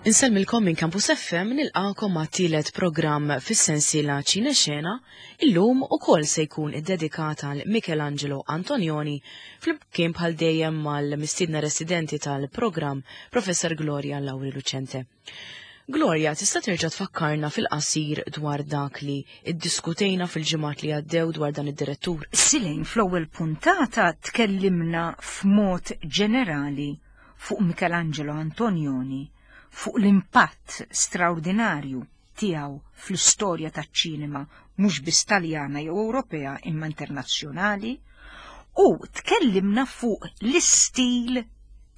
Insellmilkom minn Campus FM nilqakom għat-tielet programm fis-sensiela Ċine Xena illum ukoll se jkun iddedikat għal Michelangelo Antonioni flimkien bħal dejjem mal-mistiedna residenti tal-programm Professor Gloria Lauri Lucente. Gloria, tista' terġa' tfakkarna fil-qasir dwar dak li iddiskutejna fil-ġimgħat li għaddew dwar dan id-direttur? Silejn fl-ewwel puntata tkellimna f'mod ġenerali fuq Michelangelo Antonioni, fuq l-impatt straordinarju tiegħu fl-istorja taċ-ċinema mhux biss Taljana jew Ewropea imma internazzjonali, u tkellimna fuq l-istil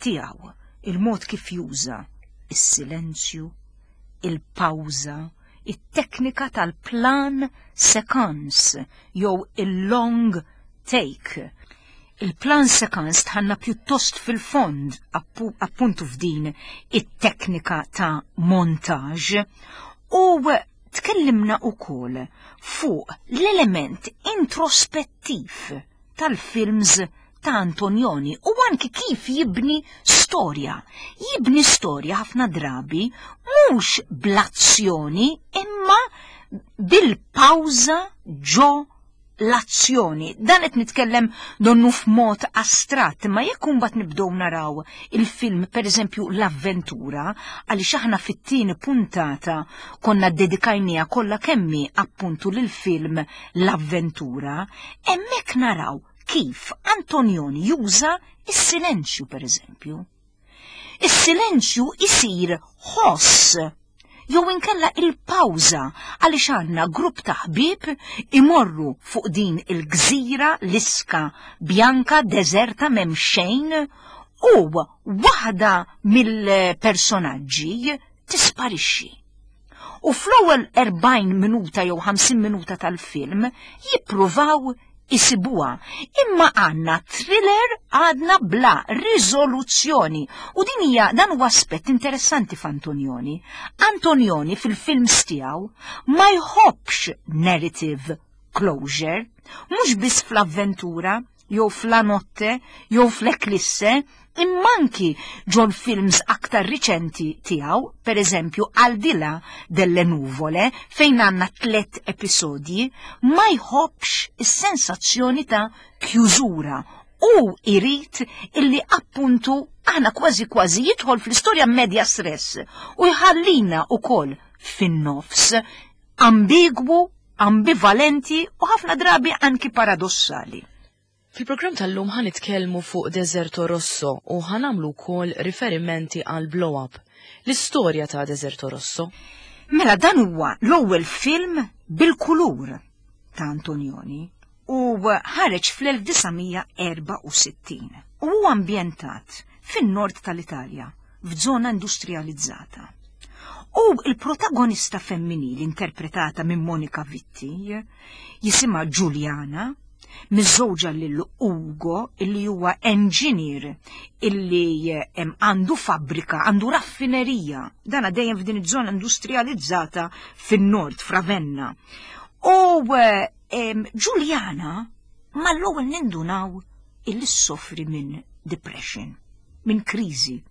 tiegħu, il-mod kif juża is-silenzju, il-pawża, it-teknika tal-plan sequence jew il-long take. Il-plan sequence tħanna pjuttost fil-fond appuntu f'din it-teknika ta' montage u tkellimna ukoll fuq l-element introspettiv tal-films ta' Antonioni u anki kif jibni storja. Jibni storja ħafna drabi mhux bl-azzjoni imma bil-pawża ġo l-azzjoni. Dan qed nitkellem donnu f'mod astratt, imma jekk imbagħad nibdew naraw il-film pereżempju L-Avventura, għaliex aħna fit-tieni puntata konna ddedikajniha kollha kemmi appuntu lill-film L-Avventura, hemmhekk naraw kif Antonioni juża s-silenzju pereżempju. Is-silenzju isir ħoss jew inkella il-pawża għaliex għandna grupp ta' ħbieb imorru fuq din il-gżira l-iska bjanka deżerta m'hemm xejn u waħda mill-personaġġi tisparixxi. U fl-ewwel 40 minuta jew 50 minuta tal-film jippruvaw isibuha. Imma għandna thriller għadna bla riżoluzzjoni. U din hija dan huwa aspett interessanti f'Antonioni. Antonioni fil-films tiegħu ma jħobbx narrative closure, mhux biss fl-avventura, jew f'La Notte jew fl-Eclisse, imma anki ġol-films aktar riċenti tiegħu, pereżempju Al di là delle nuvole, fejn għandna tlett episodji, ma jħobbx is-sensazzjoni ta' kjużura u jrid illi appuntu aħna kważi kważi jidħol fl-istorja media stress u jħallina wkoll fin-nofs ambigwu ambivalenti u ħafna drabi anki paradossali. Fil-programm tal-lum ħa nitkellmu fuq Deserto Rosso u ħa nagħmlu wkoll riferimenti għal Blow Up. L-istorja ta' Deserto Rosso. Mela dan huwa l-ewwel film bil-kulur ta' Antonioni u ħareġ fl-1964 u huwa ambjentat fin-nord tal-Italja f'żona industrializzata. U il-protagonista femminili interpretata minn Monica Vitti jisimha Giuliana, miżżewġa lil Ugo illi huwa engineer illi għandu fabbrika, għandu raffinerija, dana dejjem f'din iż-żona industrializzata fin-nord, f'Ravenna. U Giuliana mal-ewwel nindunaw illi ssofri minn depression, minn kriżi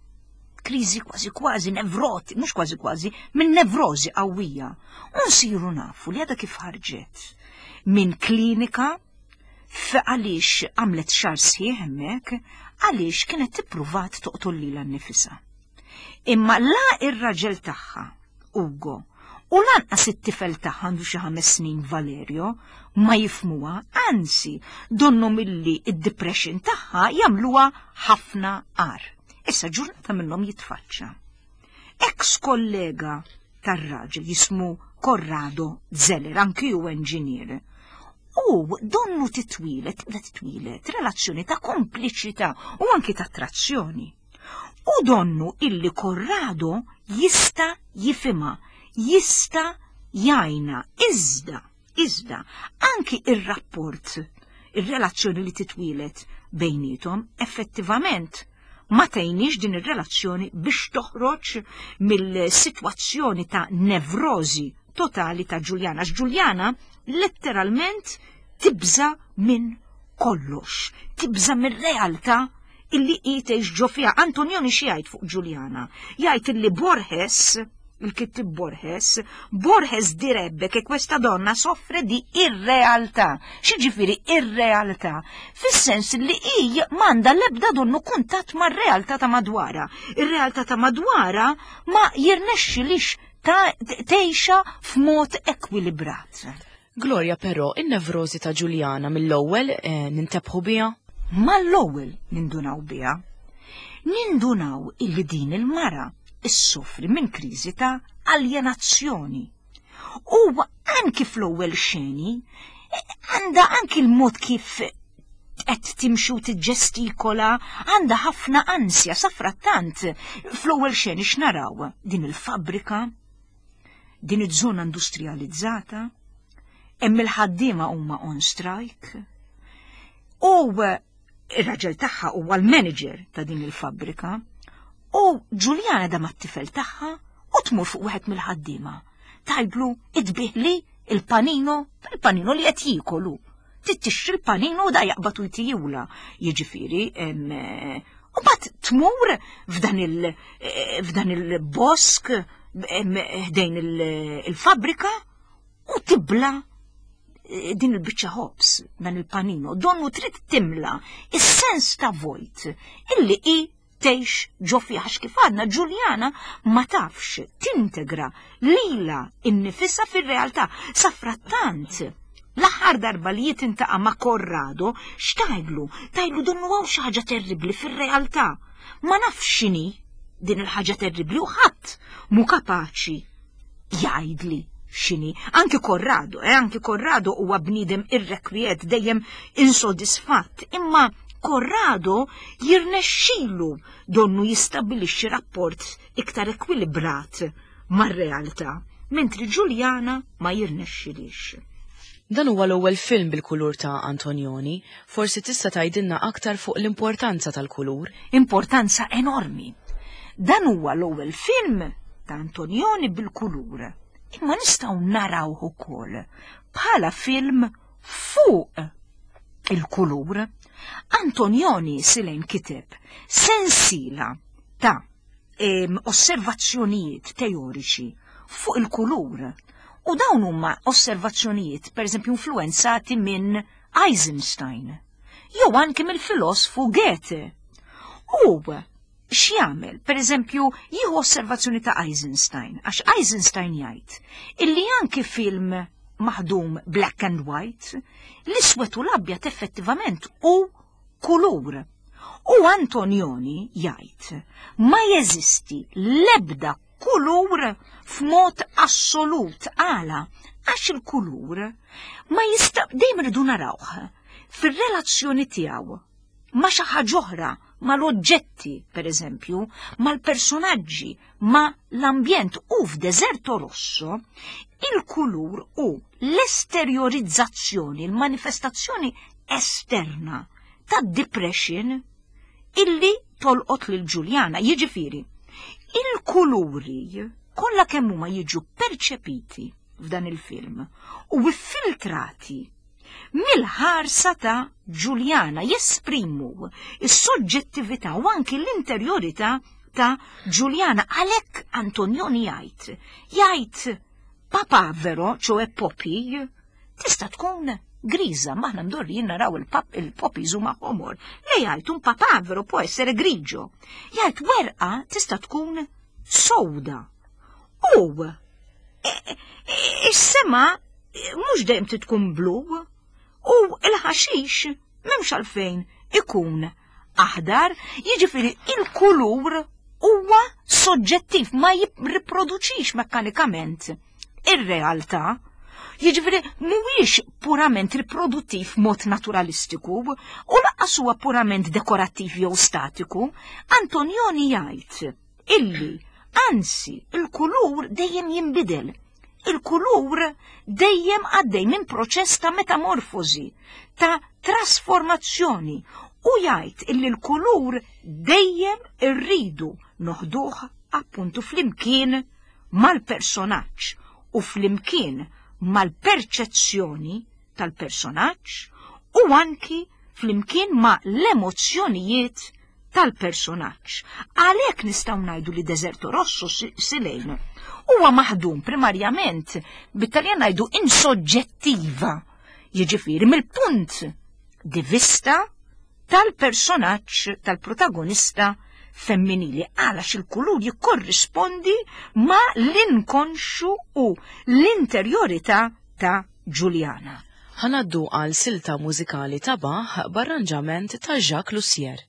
kriżi kważi kważi nevroti, mhux kważi kważi, minn nevrożi qawwija. U nsiru nafu li għadha kif ħarġet minn klinika għaliex għamlet xar sħiħ hemmhekk għaliex kienet tippruvat toqtol lilha nnifisha. Imma la ir-raġel tagħha, Ugo, u lanqas it-tifel tagħha għandu xi ħames snin Valerio, ma jifmuha, anzi, donnu milli id-depression tagħha jagħmluha ħafna agħar. Issa ġurnata minnhom jitfaċċa. Ex kollega tar-raġel jismu Corrado Zeller, anki hu enġinier. U donnu titwilet, tibda titwilet, relazzjoni ta' kompliċità u anki ta' attrazzjoni. U donnu illi Corrado jista' jifhimha, jista' jgħinha, iżda, iżda, anki ir-rapport, ir-relazzjoni li titwieled bejniethom effettivament ma tgħinix din ir-relazzjoni biex toħroġ mill-sitwazzjoni ta' nevrożi totali ta' Ġuljana. Għax Ġuljana letteralment tibża' minn kollox, tibża' mir-realtà. illi hi tgħix ġo fiha. Antonioni xi jgħid fuq Ġuljana? Jgħid illi Borges, il-kittib Borges, Borges direbbe che questa donna soffre di irrealtà. X'jiġifieri irrealtà? Fis-sens li hi m'għandha l-ebda donnu kuntatt mar-realtà ta' madwarha. Ir-realtà ta' madwarha ma jirnexxilix ta' tgħixha f'mod ekwilibrat. Gloria però, in-nevrożi ta' Ġuljana mill-ewwel eh, nintebħu biha? Mal-ewwel nindunaw biha. Nindunaw illi din il-mara issofri minn kriżi ta' aljenazzjoni. U anki fl-ewwel xeni għandha anki l-mod kif qed timxi u tiġġestikola, għandha ħafna ansja safrattant fl-ewwel xeni x'naraw din il-fabbrika, din iż-żona industrializzata, hemm il-ħaddiema huma on strike, u ir-raġel tagħha huwa l-manager ta' din il-fabbrika, u Ġuljana da mat-tifel tagħha u tmur fuq wieħed mill-ħaddiema. Tajblu idbiħli il-panino, il-panino li qed jiekolu. Tixtri l-panino u da jaqbad u jtijula. Jiġifieri, u bat tmur f'dan il- f'dan il-bosk ħdejn il-fabbrika u tibla eh, din il-biċċa ħobs dan il-panino, donnu trid timla is-sens ta' vojt illi hi tgħix ġo fiha għax kif għadna Ġuljana ma tafx tintegra lilha innifisha fir-realtà. Safrattant, l-aħħar darba li jitintaqa' ma' Corrado, x'tgħidlu? Tgħidlu donnu hawn xi ħaġa terribbli fir-realtà. Ma nafx x'inhi din il-ħaġa terribbli u ħadd mhu kapaċi jgħidli x'inhi. Anki Corrado, eh, anki Corrado huwa bniedem irrekwiet dejjem insodisfatt, imma Corrado jirnexxilu donnu jistabbilixxi rapport iktar ekwilibrat mar-realtà, mentri Ġuljana ma jirnexxilix. Dan huwa l-ewwel film bil-kulur ta' Antonioni, forsi tista' tgħidilna aktar fuq l-importanza tal-kulur? Importanza enormi. Dan huwa l-ewwel film ta' Antonioni bil-kulur, imma nistgħu narawh ukoll bħala film fuq il-kulur. Antonioni Silejn kiteb sensiela ta' osservazzjonijiet teoriċi fuq il-kulur. U dawn huma osservazzjonijiet, pereżempju, influenzati minn Eisenstein, jew anki mill-filosfu Goethe. U x'jagħmel? Pereżempju, jieħu osservazzjoni ta' Eisenstein, għax Eisenstein jgħid illi anki film maħdum black and white, l-iswed u l-abjad effettivament hu kulur. U Antonioni jgħid ma jeżisti l-ebda kulur f'mod assolut għala għax il-kulur ma jista' dejjem irridu narawh fir-relazzjoni tiegħu ma' xi ħaġa oħra, mal-oġġetti, pereżempju, mal-personaġġi, ma' l-ambjent u f'Deserto Rosso, il-kulur hu l-esterjorizzazzjoni, il-manifestazzjoni esterna tad-depression illi tolqot lil Ġuljana. Jiġifieri, il-kuluri kollha kemm huma jiġu perċepiti f'dan il-film u iffiltrati mill-ħarsa ta' Ġuljana jesprimu s-soġġettività u anki l-interjorità ta' Ġuljana. Għalhekk Antonioni jgħid, jgħid papavero, ċoe poppy, tista' tkun griża, maħna mdorrijin naraw il-poppies huma ħomor. Le jgħid un papavero può essere grigio. Jgħid werqa tista' tkun sowda. U e, e, is-sema mhux dejjem trid tkun blu u l-ħaxix m'hemmx għalfejn ikun aħdar, jiġifieri il-kulur huwa soġġettiv ma jirriproduċix mekkanikament ir-realtà. Jiġifieri mhuwiex purament riproduttiv mod naturalistiku u lanqas huwa purament dekorattiv jew statiku. Antonioni jgħid illi anzi il-kulur dejjem jinbidel. Il-kulur dejjem għaddej minn proċess ta' metamorfosi, ta' trasformazzjoni u jgħid illi l-kulur dejjem irridu noħduh appuntu flimkien mal-personaġġ u flimkien mal-perċezzjoni tal-personaġġ u anki flimkien ma' l-emozzjonijiet tal-personaġġ. Għalhekk nistgħu ngħidu li Deserto Rosso Silejn huwa maħdum primarjament bit-Taljan ngħidu insoġġettiva, jiġifieri mill-punt di vista tal-personaġġ tal-protagonista femminili għalax il-kulur jikkorrispondi ma l-inkonxu u l-interjorità ta' Giuliana. Ħa ngħaddu għal silta mużikali ta' Bach b'arranġament ta' Jacques Lussier.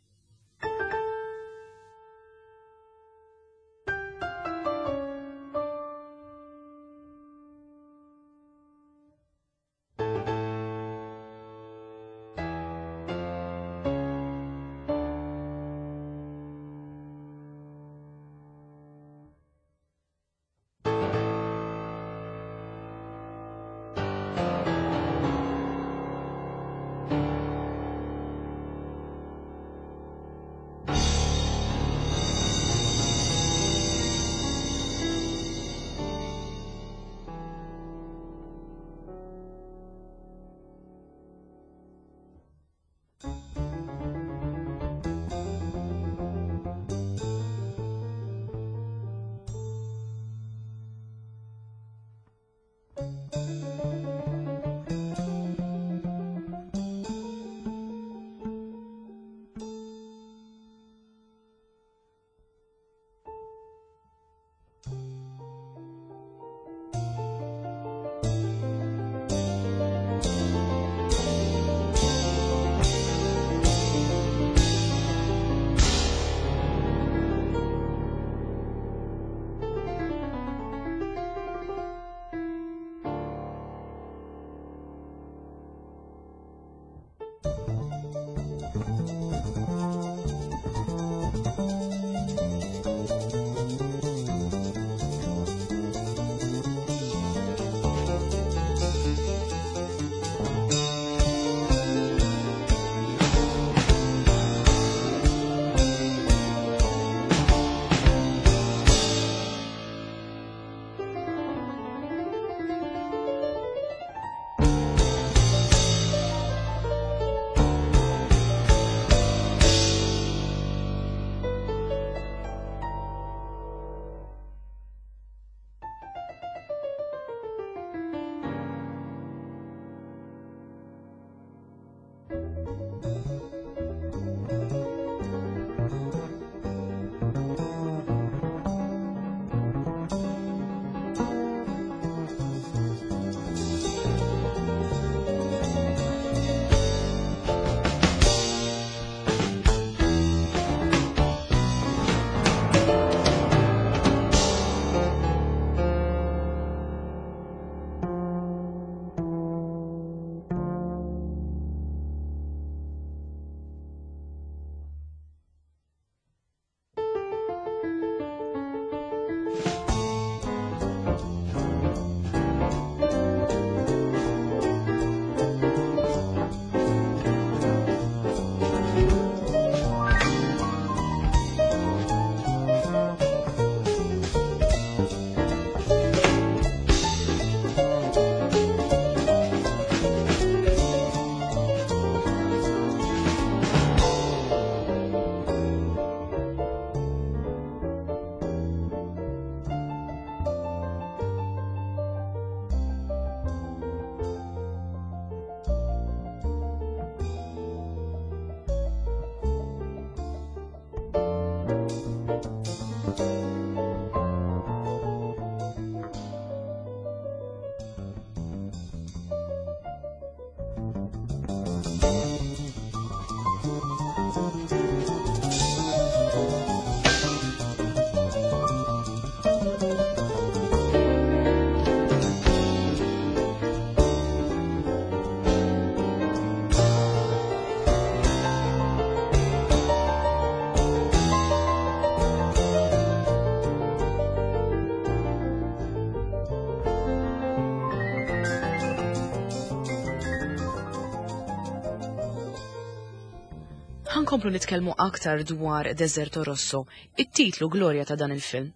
Ħankomplu nitkellmu aktar dwar Deserto Rosso, it-titlu Gloria ta' dan il-film.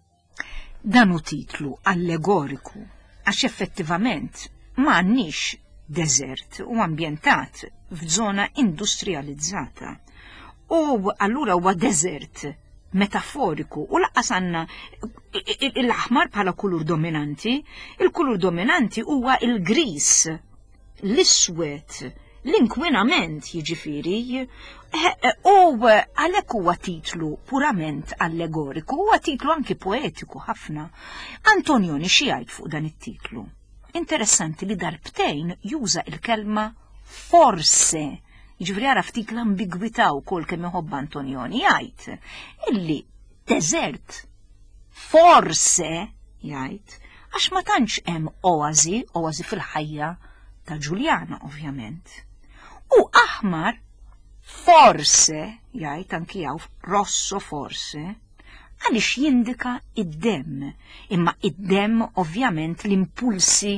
Dan hu titlu allegoriku għax effettivament ma għandniex deżert u ambjentat f'żona industrializzata. U allura huwa deżert metaforiku u laqqas għandna l-aħmar bħala kulur dominanti, il-kulur dominanti huwa il-gris, l-iswed, l-inkwinament jiġifieri, eh, eh, u għalhekk huwa titlu purament allegoriku, huwa titlu anki poetiku ħafna. Antonioni xi jgħid fuq dan it-titlu? Interessanti li darbtejn juża il-kelma forse Jiġifieri ara ftit l-ambigwità wkoll kemm iħobb Antonioni jgħid illi deżert forse jgħid għax ma tantx hemm oażi, oażi fil-ħajja ta' Ġuljana ovvjament. U aħmar forse jgħid anki hawn rosso forse għaliex jindika id-demm, imma id-demm ovvjament l-impulsi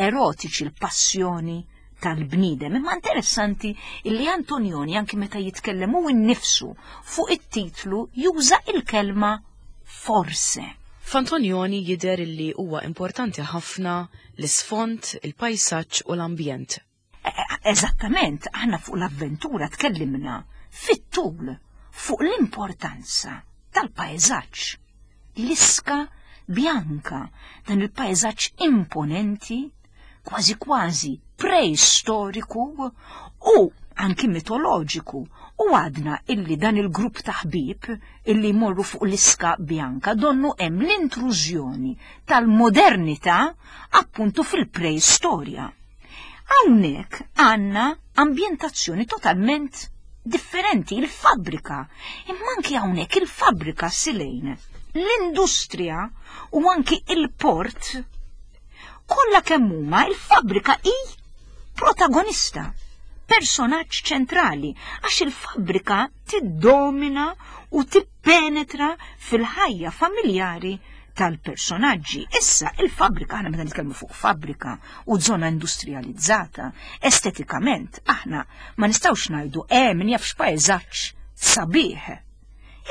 erotiċi, l-passjoni tal-bniedem. Imma interessanti illi Antonioni anki meta jitkellem hu nnifsu fuq it-titlu juża il-kelma forse. F'Antonioni jidher illi huwa importanti ħafna l-isfond, il-pajsaġġ u l-ambjent. E, e, eżattament, aħna fuq l-avventura tkellimna fit-tul fuq l-importanza tal-pajsaġġ. L-iska bjanka, dan il-pajsaġġ imponenti kważi kważi preistoriku u anki mitoloġiku u għadna illi dan il-grupp ta' ħbieb illi jmorru fuq l-iska bjanka donnu hemm l-intrużjoni tal-modernità appuntu fil-preistorja. Hawnhekk għandna ambjentazzjoni totalment differenti, il-fabbrika. Imma anki hawnhekk il-fabbrika silejn, l-industrija u anki il-port Kollha kemm huma il-fabbrika hi protagonista, personaġġ ċentrali, għax il-fabbrika tiddomina u tippenetra fil-ħajja familjari tal-personaġġi. Issa il-fabbrika, aħna meta nitkellmu fuq fabbrika u żona industrializzata, estetikament aħna ma nistgħux ngħidu eh min jaf x'pajżaġġ sabiħ.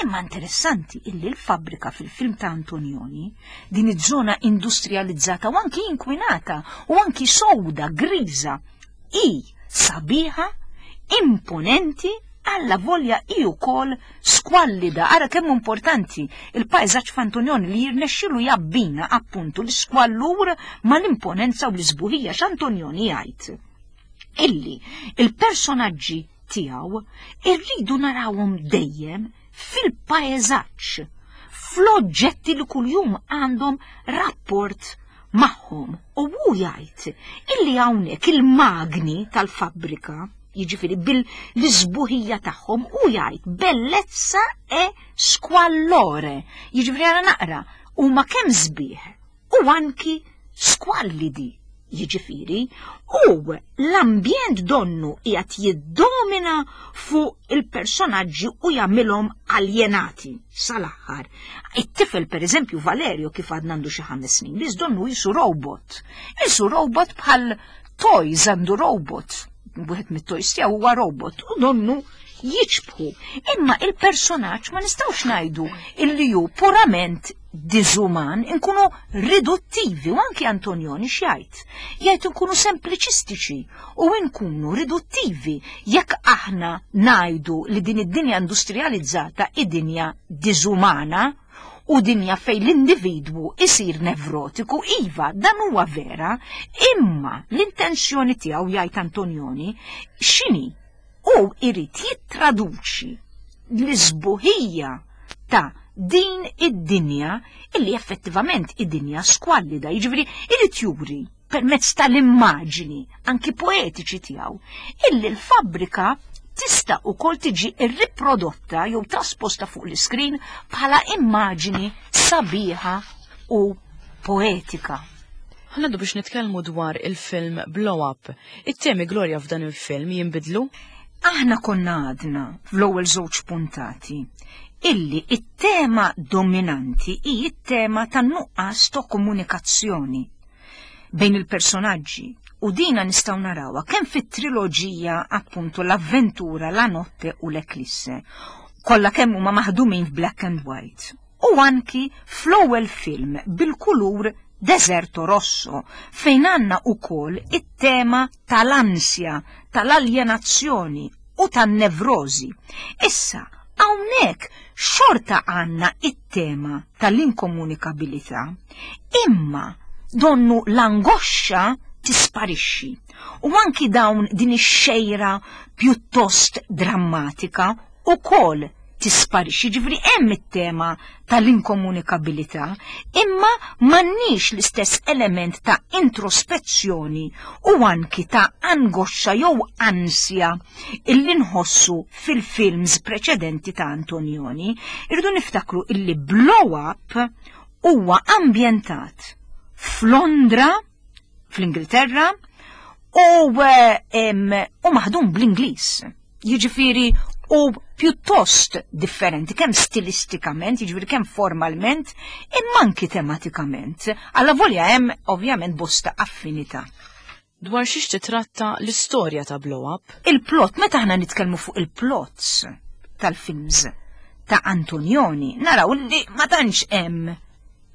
Imma interessanti illi l-fabbrika fil-film ta' Antonioni, din iż-żona industrializzata u anki inkwinata u anki sowda, griża, hi sabiħa, imponenti, alla volja hi wkoll skwallida. Ara kemm importanti il-pajżaġġ f'Antonioni li jirnexxilu jabbina appuntu l-iskwallur mal-imponenza u l-isbuħija x'Antonioni jgħid illi il-personaġġi tiegħu irridu narawhom dejjem fil-paeżaġġ, fl-oġġetti li kuljum għandhom rapport magħhom. U hu jgħid illi hawnhekk il-magni tal-fabbrika, jiġifieri bil-isbuħija tagħhom, hu jgħid bellezza e squallore. Jiġifieri għara naqra, huma kemm sbieħ u anki squallidi, jiġifieri, u l-ambjent donnu qiegħed jiddomina fuq il-personaġġi u jagħmilhom aljenati sal-aħħar. It-tifel pereżempju Valerio kif għadna għandu xi ħames snin, biss donnu jisu robot. Jisu robot bħal toys għandu robot. Wieħed mit-toys tiegħu huwa robot u donnu jiċbħu. Imma il-personaġġ ma nistgħux ngħidu illi hu purament diżuman, inkunu riduttivi u anki Antonioni x'jgħid. Jgħid inkunu sempliċistiċi u nkunu riduttivi jekk aħna ngħidu li din id-dinja industrializzata hi dinja diżumana u dinja fejn l-individwu isir nevrotiku, iva, dan huwa vera, imma l-intenzjoni tiegħu jgħid Antonioni x'inhi? Hu irid jittraduċi l-isbuħija ta' din id-dinja illi effettivament id-dinja skwallida, jiġifieri irid juri permezz tal-immaġini anki poetiċi tiegħu illi l-fabbrika tista' ukoll tiġi rriprodotta jew trasposta fuq l-iskrin bħala immaġini sabiħa u poetika. Ħanaddu biex nitkellmu dwar il-film Blow Up. It-temi Gloria f'dan il-film jinbidlu? Aħna konna għadna fl-ewwel żewġ puntati illi it-tema dominanti hi t-tema tan-nuqqas ta' komunikazzjoni bejn il-personaġġi u dina nistgħu narawha kemm fit-triloġija appuntu l-avventura, la notte u l-eklisse. Kollha kemm huma maħdumin f'black and white. U anki fl-ewwel film bil-kulur Deserto Rosso, fejn għandna wkoll it-tema tal-ansja, tal-aljenazzjoni u tan-nevrożi. Issa, Hawnhekk xorta għandna it-tema tal-inkomunikabilità, imma donnu l-angoxxa tisparixxi. U anki dawn din ix-xejra pjuttost drammatika ukoll tisparixxi, ġifieri hemm it-tema tal-inkomunikabilità, imma m'għandniex l-istess element ta' introspezzjoni u anki ta' angoxxa jew ansja illi nħossu fil-films preċedenti ta' Antonioni. Irridu niftakru illi Blow Up huwa ambjentat f'Londra, fl-Ingilterra, u, u maħdum bl-Ingliż. Jiġifieri u pjuttost differenti kemm stilistikament, jiġifieri kemm formalment, imma anki tematikament. Alla volja hemm ovvjament bosta affinità. Dwar xiex titratta l-istorja ta' Blow Up? Il-plot, meta aħna nitkellmu fuq il-plots tal-films ta' Antonioni, naraw li ma tantx hemm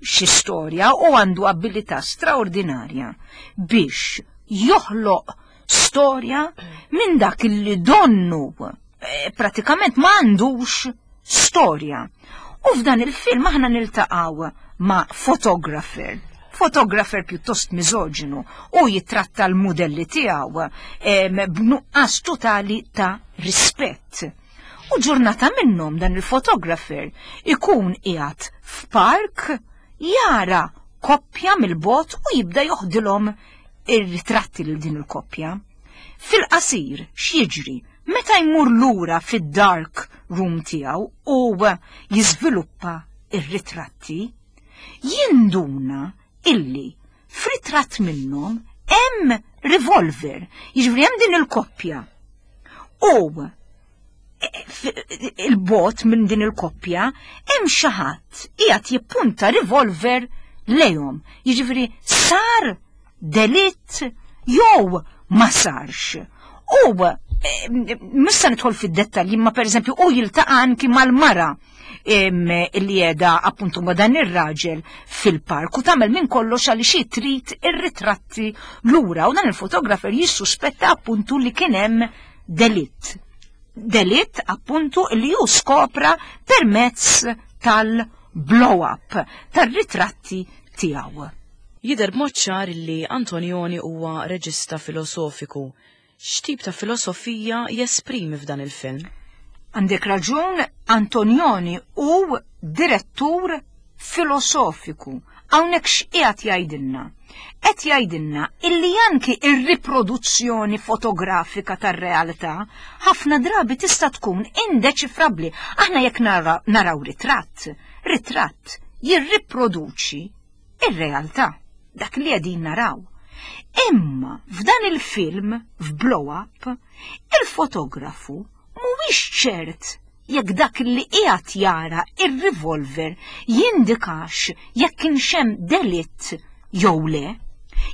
xi storja u għandu abilità straordinarja biex joħloq storja minn dak li donnu eh, pratikament ma għandux storja. U f'dan il-film aħna niltaqgħu ma' photographer, photographer pjuttost miżoġinu u jitratta l-mudelli tiegħu b'nuqqas totali ta' rispett. U ġurnata minnhom dan il-photographer ikun qiegħed f'park jara koppja mill-bot u jibda joħdilhom ir-ritratti lil din il-koppja. Fil-qasir, x'jiġri? Meta jmur lura fid-dark room tiegħu u jiżviluppa ir-ritratti, jinduna illi f'ritratt minnhom hemm revolver, jiġifieri hemm din il-koppja. U il-bot minn din il-koppja hemm xi ħadd qiegħed jippunta revolver lejhom. Jiġifieri sar delitt jew ma sarx. U eh, missa nidħol fid-dettalji, ma pereżempju u jiltaqa' anki mal-mara li jeda appuntu ma dan ir-raġel fil-park u tagħmel minn kollox għaliex hi trid ir-ritratti lura u dan il-fotografer jissuspetta appuntu li kien hemm delitt. Delitt appuntu li hu skopra permezz tal-blow-up, tar-ritratti tiegħu. Jidher b'mod ċar li Antonioni huwa reġista filosofiku. X'tip ta' filosofija jesprimi f'dan il-film? Għandek raġun, Antonioni hu direttur filosofiku. Hawnhekk x'qiegħed jgħidilna? Qed jgħidilna illi anki ir-riproduzzjoni fotografika tar-realtà ħafna drabi tista' tkun indeċifrabbli. Aħna jekk naraw ritratt, ritratt jirriproduċi ir-realtà, dak li qegħdin naraw. Imma f'dan il-film, f'Blow Up, il-fotografu mhuwiex ċert jekk dak li qiegħed jara ir-revolver jindikax jekk kienx hemm delitt jew le.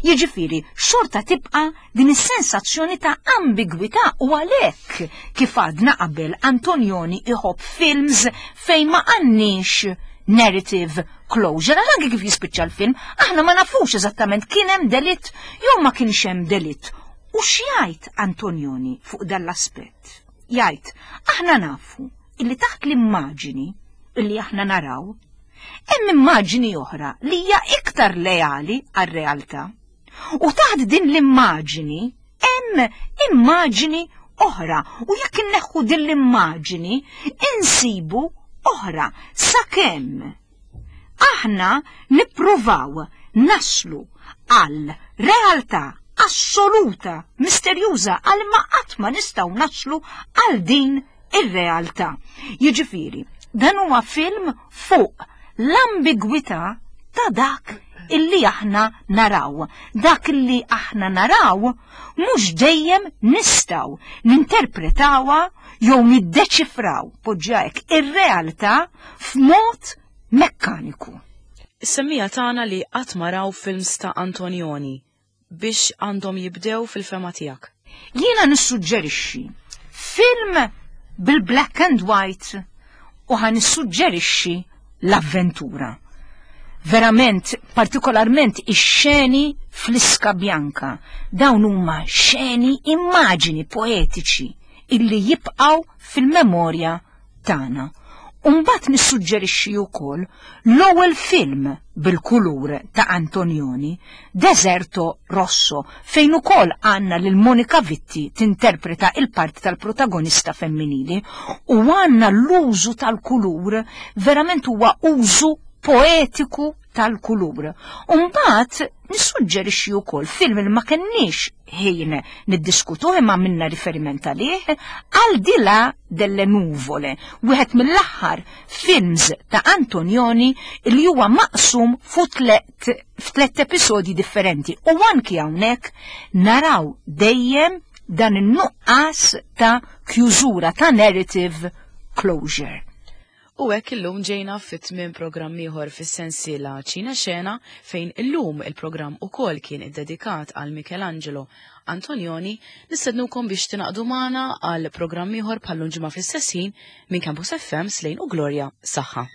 Jiġifieri xorta tibqa' din is-sensazzjoni ta' ambigwità u għalhekk kif għadna qabel Antonioni iħobb films fejn ma għandniex narrative closure. Għal anke kif jispiċċa l-film, aħna ma nafux eżattament kien hemm delitt jew ma kienx hemm delitt. U x'jgħid Antonioni fuq dan l-aspett? Jgħid, aħna nafu illi taħt l-immaġini illi aħna naraw, hemm immaġini oħra li hija iktar leali għar-realtà. U taħt din l-immaġini hemm immaġini oħra u jekk inneħħu din l-immaġini insibu oħra sakemm aħna nippruvaw naslu għal realtà assoluta, misterjuża għal ma qatt ma nistgħu naslu għal din ir-realtà. Jiġifieri, dan huwa film fuq l-ambigwità ta' dak illi aħna naraw. Dak illi aħna naraw mhux dejjem nistgħu ninterpretawha jew niddeċifraw, poġġiha hekk, ir-realtà f'mod mekkaniku. Is-semmiegħa tagħna li qatt ma raw films ta' Antonioni biex għandhom jibdew fil-fehma tiegħek? Jiena nissuġġerixxi film bil-black and white u ħa nissuġġerixxi l-avventura. Verament, partikolarment ix-xeni fl-Iska Bianca, dawn huma xeni immaġini poetiċi illi jibqgħu fil-memorja. tagħna. U mbagħad nissuġġerixxi wkoll l-ewwel film bil-kulur ta' Antonioni, Deserto Rosso, fejn ukoll għandna lil Monica Vitti tinterpreta il-parti tal-protagonista femminili u għandna l-użu tal-kulur verament huwa użu poetiku tal-kulur. U mbagħad nissuġġerixxi wkoll film li ma kenniex ħin niddiskutuh imma għamilna riferiment għalih, Al di là delle nuvole, wieħed mill-aħħar films ta' Antonioni li huwa maqsum f'tlet episodji differenti u anki hawnhekk naraw dejjem dan in-nuqqas ta' kjużura ta' narrative closure. U hekk illum ġejna fi tmiem programm ieħor fis-sensiela Ċina Xena fejn illum il-programm ukoll kien iddedikat għal Michelangelo Antonioni, nistednukom biex tingħaqdu magħna għal programm ieħor bħal-lum ġimgħa fl-istess ħin minn Campus FM Slejn u Glorja Saħħa.